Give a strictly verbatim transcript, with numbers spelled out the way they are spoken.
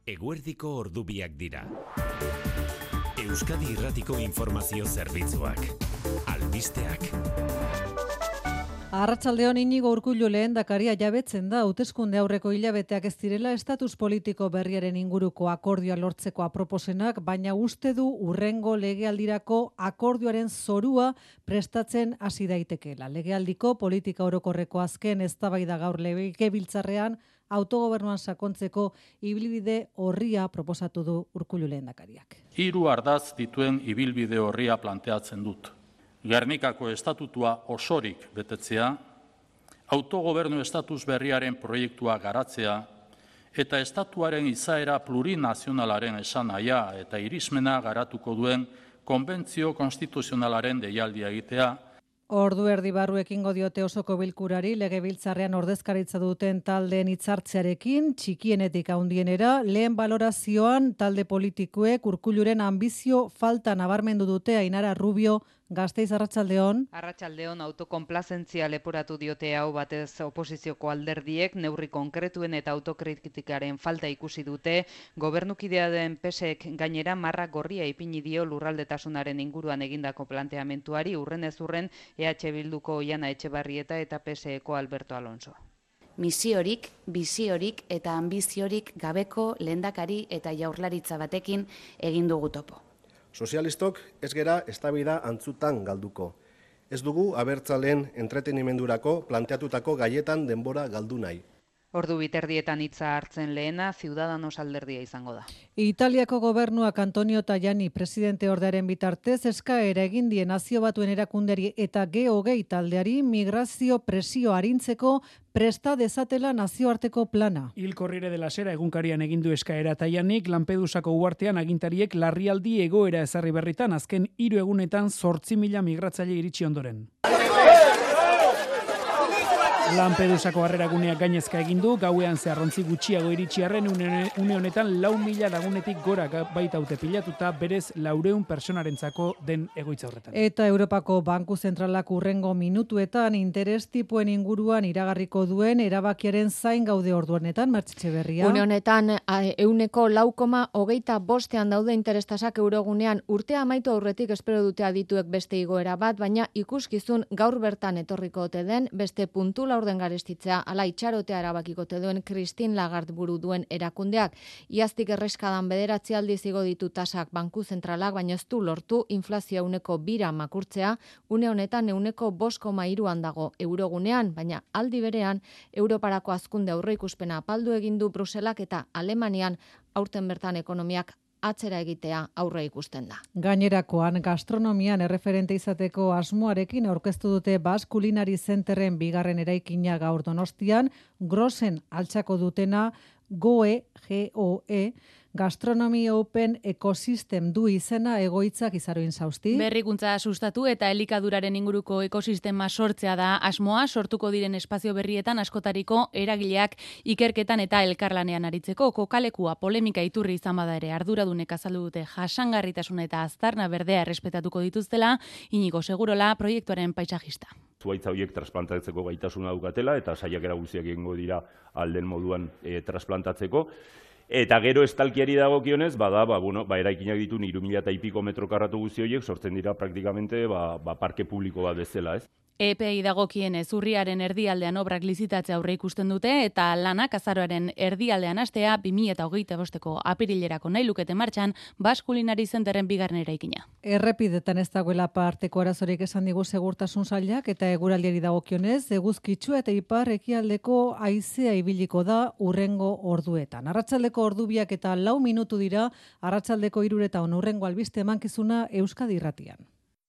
Eguerdiko ordubiak dira. Euskadi Irratiko Informazio Zerbitzuak. Albisteak. Arratsaldeon Inigo Urkullu lehendakaria jabetzen da hauteskunde aurreko hilabeteak ez direla estatus politiko berriaren inguruko akordioa lortzeko aproposenak, baina uste du hurrengo legealdirako akordioaren zorua prestatzen hasi daitekeela. Legealdiko politika orokorreko azken eztabaida gaur legebiltzarrean autogobernuan sakontzeko ibilbide orria proposatu du Urkullu lehendakariak. Hiru ardaz dituen ibilbide orria planteatzen dut. Gernikako estatutua osorik betetzea, autogobernu estatus berriaren proiektua garatzea eta estatuaren izaera plurinazionalaren esanahia eta irismena garatuko duen konbentzio konstituzionalaren deialdia egitea. Ordu erdi barru ekingo diote osoko bilkurari legebiltzarrean ordezkaritza duten taldeen hitzartzearekin, txikienetik handienera, lehen balorazioan talde politikoek Urkulluren ambizio falta nabarmendu dute. Ainara Rubio, Gasteiz, arratsaldeon. Arratsaldeon, autokonplazentzia leporatu diote hau batez oposizioko alderdiek, neurri konkretuen eta autokritikaren falta ikusi dute. Gobernukidea den P S ek gainera marra gorria ipini dio lurraldetasunaren inguruan egindako planteamentuari, urren ez urren E H Bilduko Oihana Etxebarrieta eta P S eko Alberto Alonso. Misiorik, biziorik eta ambiziorik gabeko lehendakari eta jaurlaritza batekin egin dugu topo. Sozialistok ez gera eztabaida antzutan galduko. Ez dugu abertzaleen entretenimendurako planteatutako gaietan denbora galdu nahi. Ordu biterdietan hitza hartzen lehena, Ciudadanos alderdia izango da. Italiako gobernuak Antonio Tajani presidente ordearen bitartez eskaera egin die Nazio Batuen erakunderi eta G hogei taldeari migrazio presio arintzeko presta dezatela nazioarteko plana. Il Corriere della Sera egunkarian egin du eskaera Tajanik, Lampedusako uhartean agintariek larrialdi egoera ezarri berritan azken hiru egunetan zortzi mila migratzaile iritsi ondoren. Lampedusako harreraguneak gainezka egin du, gauean zeharrontzi gutxiago iritsiarren une honetan lau mila lagunetik gora baitaute pilatuta, berez laureun personarentzako den egoitza horretan. Eta Europako Banku Zentralak urrengo minutuetan interes tipuen inguruan iragarriko duen erabakiaren zain gaude ordu honetan, Mertxe Etxeberria. Une honetan euneko lau koma hogeita bostean daude interestasak eurogunean, urtea amaitu aurretik espero dute adituek beste igoera bat, baina ikuskizun gaur bertan etorriko ote den beste puntu orden garestitzea, ala itxarotea erabakikote duen Christine Lagarde buru duen erakundeak. Iaztik erreskadan bederatzi aldiz igo ditu tasak Banku Zentralak, baina ez du lortu inflazioa uneko bira makurtzea, une honetan euneko bost koma hiruan dago eurogunean, baina aldi berean Europarako hazkunde aurreikuspena apaldu egin du Bruselak eta Alemanian aurten bertan ekonomiak atzera egitea aurre ikusten da. Gainerakoan, gastronomian erreferente izateko asmoarekin aurkeztu dute Basque Culinary Centerren bigarren eraikina gaur Donostian, Grosen altxako dutena GOE, G O E, Gastronomy Open Ecosystem du izena egoitzak Izaroin Sausti. Berrikuntza sustatu eta elikaduraren inguruko ekosistema sortzea da asmoa, sortuko diren espazio berrietan askotariko eragileak ikerketan eta elkarlanean aritzeko. Kokalekua polemika iturri izan bada ere arduradunek azaldu dute jasangarritasuna eta aztarna berdea errespetatuko dituztela, Inigo Segurola proiektuaren paisajista. Zuhaitza horiek transplantatzeko gaitasuna daukatela eta saiakera guztiak egingo dira alden moduan e, transplantatzeko. Eta gero estalkiari dagokionez, bada, ba, bueno, ba, eraikinak ditu hiru mila eta ipiko metro karratu guzti horiek sortzen dira praktikamente ba, ba, parke publiko bat bezala, ez? E P I dagokienez urriaren erdialdean obrak lizitatzea aurre ikusten dute eta lanak azaroaren erdialdean hastea bi mila hogeita bosteko apirilerako nahi lukete martxan Basque Culinary Centerren bigarren eraikina. Errepidetan ez dagoela parteko arazorik esan digu segurtasun sailak eta eguraldiari dagokionez eguzkitsua eta ipar ekialdeko haizea ibiliko da urrengo orduetan. Arratsaldeko ordubiak eta lau minutu dira, arratsaldeko hiruretan urrengo albiste emankizuna Euskadi Irratian.